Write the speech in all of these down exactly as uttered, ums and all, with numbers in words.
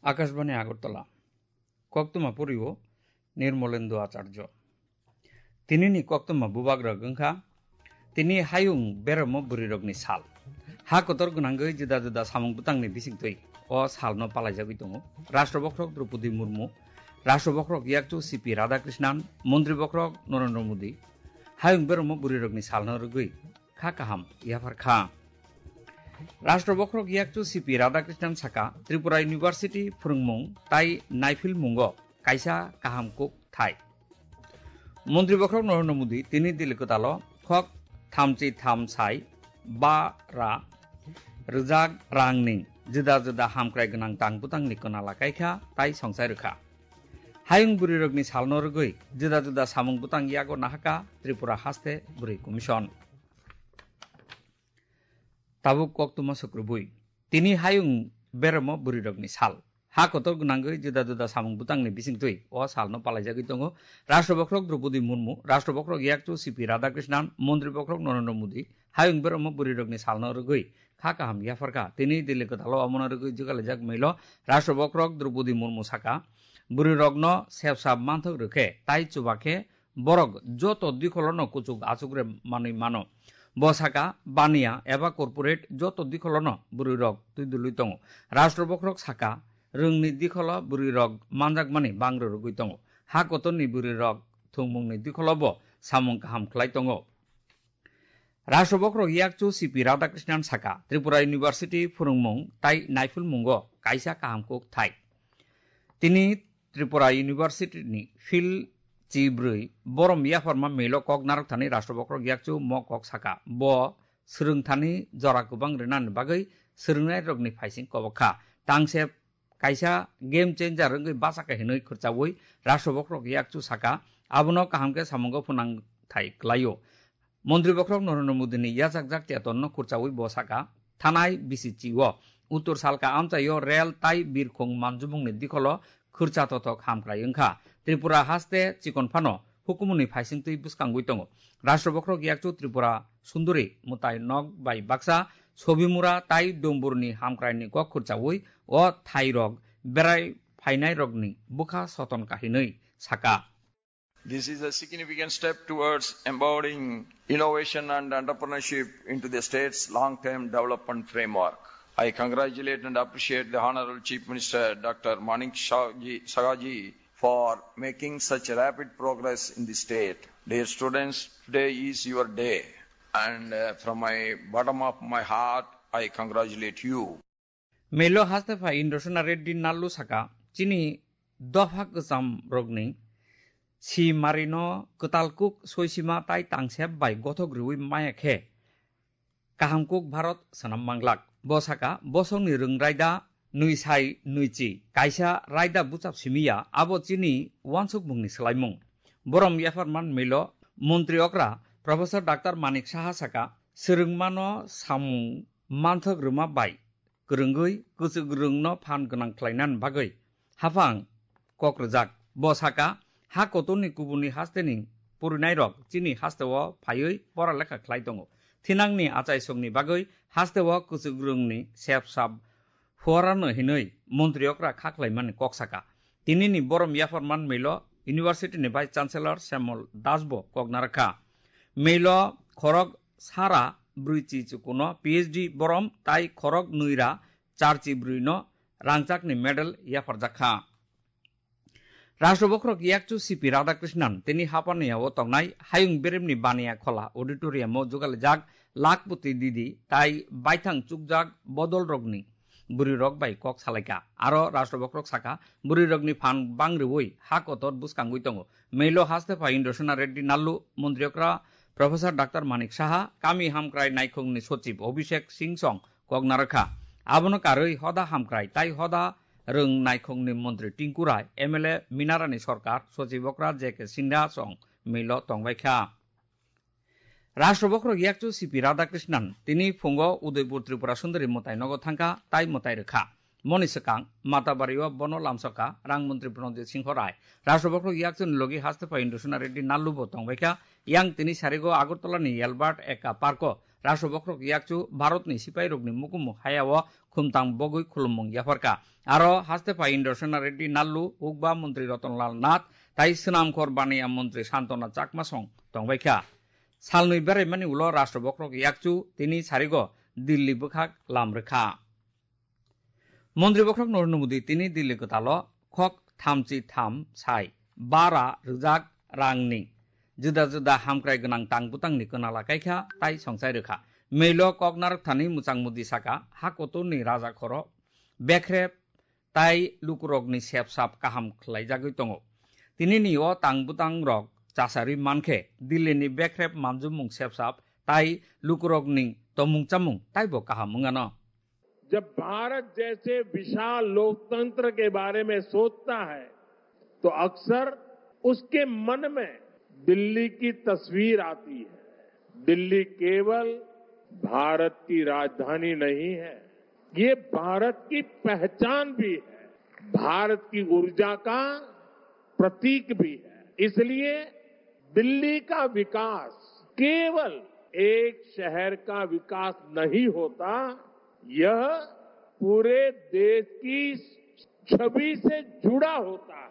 Akashbani Agartala. Koktwma poriwo Nirmolendu Acharjo. Tinini koktwma bubagrok wngkha, tini hayung beromo bwrwirokni sal. Ha kotor gwnangwi juda juda samung bwtangni bisingtwi o salno palaijagwi tongo Rashtra Bokhorok Droupadi Murmu, Rashtra Bokhorok Yakchu C P Radhakrishnan, Montri Bokhorok Narendra Modi. Hayung beromo bwrwirokni salno rwgwi kha kaham yaphar kha. Rashtra Bokhorok Yakchu C P Radhakrishnan saka, Tripura University phwrwngmung tai naiphilmungo kaisa kaham kuk thai. Montri Bokhorok Narendra Modi tini Delhi kwtalo khok thamchi tham sai ba ra rwjak rangni juda juda hamkrai gwnang tang bwtangni kwnala kaikha tai songsai rwkha. Hayung bwrwirokni salno rwgwi juda juda samung bwtang yago nahaka Tripura Haste Bwrwi Commission. Tabuk koktwma sukrubwi. Tini hayung beromo bwrwirokni sal. Ha kotor gwnangwi juda juda samung bwtangni bisingtwi o salno palaijagwi tongo Rashtra Bokhorok Droupadi Murmu, Rashtra Bokhorok Yakchu C P Radhakrishnan, Montri Bokhorok Narendra Modi. Hayung beromo bwrwirokni salno rwgwi kha kaham yaphar kha. Tini Delhi kwtalo omono rwgwi jugalijak mailo Rashtra Bokhorok Droupadi Murmu saka, bwrwirokno sepsap manthok rwkhe tai chubakhe borok joto dikholono kuchuk achukre manwi mano. Bo saka, baniya eba corporate joto dikholono bwrwirok twidulwi tongo. Rashtra Bokhorok saka, rwngni dikholo bwrwirok manjakmani bangro rwgwi tongo. Ha kotorni bwrwirok thwngmungni dikholo bo samung kaham khlai tongo. Rashtra Bokhorok Yakchu C P Radhakrishnan saka, Tripura University phwrwngmung tai naiphilmungo kaisa kaham kuk thai. Tini Tripura University ni field chibrwi borom yapharma milo kok narwk thani Rashtra Bokhorok Yakchu mo kok saka. Bo swrwng thani jora kwbang rwnani bagwi swrwngnairokni phaising kobok kha. Tangse kaisa game changer wngwi bachakha hinwi khurchaui Rashtra Bokhorok Yakchu saka, abono kaham khe samungo phunang thai klaio. Montri Bokhorok Narendra Modi ni yachakjak chetonno khurchaui bo saka, thanai bisi chi o Uttor Salka amchaio rel tai birkhung manjubungni dikholo khurcha tothok hamkrai wngkha. Tripura haste chikon phano hukumuni phaisingtwi bwskangwi tongo. Rashtra Bokhorok Yakchu Tripura Sunduri mwtai nok bai baksa Sobimura tai Domburni hamkraini kok khurchaui o thairok berai phainairokni bwkha soton kahinwi saka. This is a significant step towards empowering innovation and entrepreneurship into the state's long-term development framework. I congratulate and appreciate the Honorable Chief Minister Doctor Manik Shah ji, Saha ji for making such rapid progress in the state. Dear students, today is your day, and, uh, from my bottom of my heart, I congratulate you. Melo haste pha Indrasena Reddy Nallu saka, chini dopha kwcham rokni si marino kwtal kuk soisima tai tangsep bai gothok riui maya khe kaham kuk Bharat swnam manglak. Bo saka, bosongni rwng raida nwi sai nwi chi, kaisa raida buchap simi ya, abo chini uansukmungni swlaimung. Borom yapharman milo montri okra Professor Doctor Manik Saha saka, swrwngmano samung manthok rwma bai kwrwngwi kwchwk rwngno phan gwnang khlainani bagwi haphang kok rwjak. Bo saka, ha kotorni kubuni hasteni purinairok chini hasteo phaiwi pora lekha khlai tongo. Thinangni achaisongni bagwi hasteo kwchwk rwngni sep sap phuarano hinwi montri okra kha khlaimani kok saka. Tinini borom yapharman milo University ni Vice Chancellor Shyamol Das bo kok narwkha. Milo khorok sara brwi chi chukuno P H D borom tai khorok nwi ra char chi brwi no rangchakni medal yapharjak kha. Rashtra Bokhorok Yakchu C P Radhakrishnan tini Hapaniya o tongnai Hayung Beremni Baniya Khola Auditorium o jugalijak Lakhpati Didi tai baithang chukjak bodolrokni bwrwirok bai kok salaikha. Aro Rashtra Bokhorok saka, bwrwirokni phan bang rwui ha kotor bwskangwi tongo. Melo haste pha Indrasena Reddy Nallu, montri okra Professor Doctor Manik Saha, kami hamkrai naikhungni sochib Abhishek Singh song kok narwkha. Abono karwi hoda hamkrai tai hoda rwng naikhungni montri Tinku Rai, M L A Minarani Sorkar, sochib okra J K Singha song milo tongbaikha. Rashtra Bokhorok Yakchu C P Radhakrishnan tini phungo Udaipur Tripura Sundari mwtai nogo thangkha tai mwtai rwkha. Moni swkang Matabari o bono lamsokha rang montri Pranojit Singho Rai. Rashtra Bokhorok Yakchuni logi haste pha Indrasena Reddy Nallu bo tongbaikha. Yang tini sarigo Agartala ni Albert Ekka Park o Rashtra Bokhorok yakchu Bharatni sipairokni mukumu hayao khumtang bogwi khulummung yapharkha. Aro haste pha Indrasena Reddy Nallu, Ukba Montri Ratan Lal Nath, tai Swnamkhor Baniya Montri Santona Chakma song tongbaikha. Salnwi beraimani ulo Rashtra Bokhorok yakchu tini sarigo Delhi bwkhak lam rwkha. Montri Bokhorok Narendra Modi tini Delhi kwtalo khok thamchi tham sai bara rwjak rangni juda juda hamkrai gwnang tang bwtangni kwnala kaikha tai songchai rwkha. Meilo kok narwkthani Mwchang Modi saka, ha kotorni raja khoro bekrep tai lukurokni sepsap kaham khlaijagwi tongo. Tinini o tang bwtangrok chasarwi mankhe Delhini bekrep manjumung sepsap tai lukurokni tomung chamung taibo kaham wngano. जब भारत जैसे विशाल लोकतंत्र के बारे में सोचता है, तो अक्सर उसके मन में दिल्ली की तस्वीर आती है। दिल्ली केवल भारत की राजधानी नहीं है, ये भारत की पहचान भी है, भारत की ऊर्जा का प्रतीक भी है। इसलिए दिल्ली का विकास केवल एक शहर का विकास नहीं होता, यह पूरे देश की छवि से जुड़ा होता है।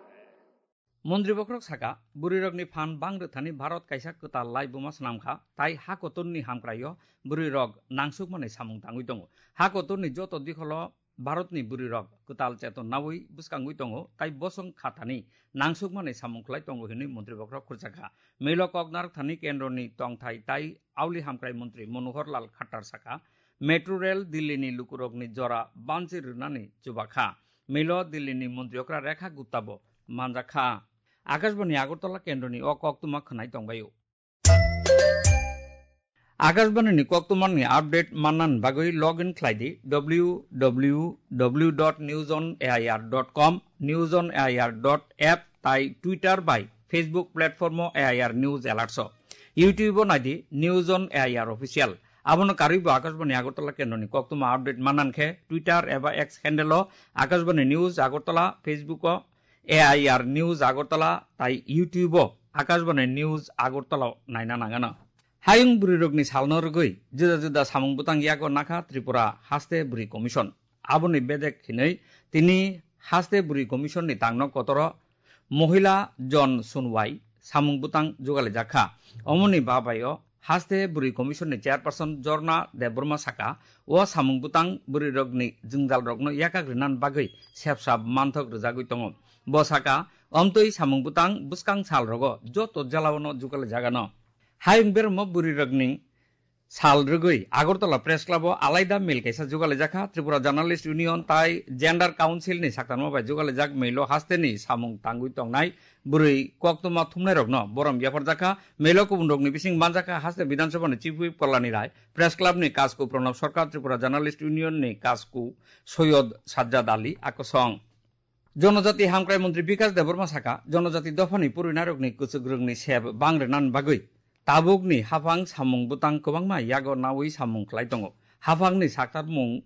Montri Bokhorok saka, bwrwirokni phan bang rwthani Bharat kaisa kwtal laibuma swnamkha, tai ha kotorni hamkraio bwrwirok nangsukmani samung tangwi tongo. Ha kotorni joto dikholo Bharatni bwrwirok kwtal cheton naui bwskangwi tongo, tai bosong khathani nangsukmani samung khlai tongo hinwi Montri Bokhorok khurjakha. Meilo kok narwkthani kendroni tongthai tai auli hamkrai montri Manohar Lal Khattar saka, Metro Rail Delhini lukurokni jora banchi rwnani chubakha. Meilo Delhini montri okra Rekha Guptabo manjakha. Akashbani Agartala kendroni o koktwma khwnai tongbaio. Akashbani ni koktwmani update manna bagwi log in khlai di W W W dot news on A I R dot com, news on A I R dot app tai Twitter bai Facebook platform o A I R News Alerts o. YouTube o nai di News on A I R Official. Abono karwi bo Akashbani Agartala kendroni koktwma update manna khe Twitter eba X handle o Akashbani News Agartala, Facebook o A I R News Agartala tai YouTube o Akashbani News Agartala naina nangano. Hayung bwrwirokni salno rwgwi juda juda samung bwtang yago nakha Tripura Haste Bwrwi Commission. Aboni bedek hinwi tini Haste Bwrwi Commission ni tangno kotoro Mohila Jon Sunwai samung bwtang jugalijakha. Omoni babaio Haste Bwrwi Commission ni Chairperson Jorna Debbarma saka, o samung bwtang bwrwirokni jwngjalrokno yakak rinani bagwi sepsap manthok rwjagwi tongo. Bo saka, omtwi samung bwtang bwskang salrogo joto jelaono jugalijakgano. Hayung bermo bwrwirokni sal rwgwi Agartala Press Club o alaida mil kaisa jugalijakha. Tripura Journalist Union tai Gender Council ni saktarma bai jugalijak milo hasteni samung tangwi tongnai bwrwi koktwma thumnairokno borom yapharjakha. Milo kubunrokni bising manjakha haste Bidhan Sabha ni Chief Whip Kalyani Rai, Press Club ni kasku Pranab Sarkar, Tripura Journalist Union ni kasku Soyod Sajjad Ali akosong. Jonojati hamkrai montri Bikash Debbarma saka, jonojati dophani purinarokni kwchwkrwngni sep bang rwnani bagwi tabukni haphang samung bwtang kwbangma yago naui samung khlai tongo. Haphangni saktarmung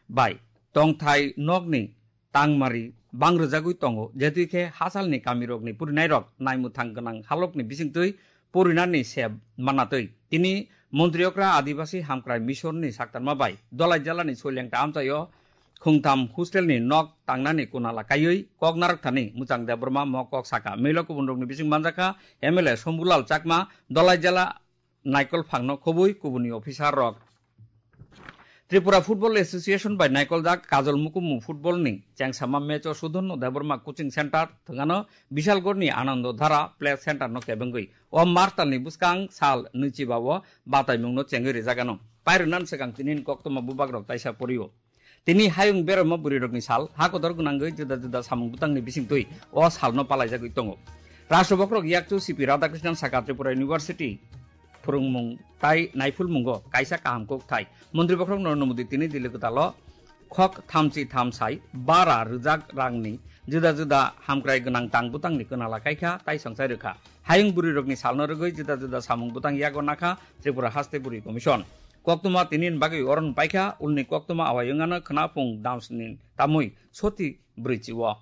bai tongthai nokni tangmari bang rwjagwi tongo, jetwi khe hachalni kamirokni purinairok naimwthang gwnang halokni bisingtwi purinani sep manatwi. Tini montri okra Adibasi Hamkrai Mission ni saktarma bai Dolai Jala ni Soilengta amchaio khungtham hostel ni nok tangnani kunala kaiwi kok narwkthani Mwchang Debbarma mo kok saka. Milo kubunrokni bising manjakha M L A Sombulal Chakma, Dolai Jala Naikol Phangno khobwi kubuni officer rok. Tripura Football Association bai naikoljak Kajol Mukumu football ni chengsama match o Sudhorno Debbarma Coaching Center thwngano Bishalgarh ni Anando Dhara Play Center no kebengwi o Martal ni bwskang sal nwichiba o bataimung no chengwi rijak ano. Pairwnan swkang tini ni koktwma bubak rok taisa porio. Tini hayung berama bwrwi rokni sal, ha kotor gwnangwi juda juda samung bwtangni bisingtwi o salno palaijagwi tongo. Rashtra Bokhorok yakchu C P Radhakrishnan saka Tripura University phwrwngmung tai naiphulmungo kaisa kaham kok thai. Montri Bokhorok Narendra Modi tini Delhi kwtalo khok thamchi thamsai bara rwjak rangni juda juda hamkrai gwnang tang bwtangni kwnala kaikha tai songchai rwkha. Hayung bwrwi rokni salno rwgwi juda juda samung bwtang yago nakha Tripura Haste Bwrwi Commission. Koktwma tini ni bagwi oron paikha, ulni koktwma awai wngano khwna phung damsni tamwi soti bwrwi chio.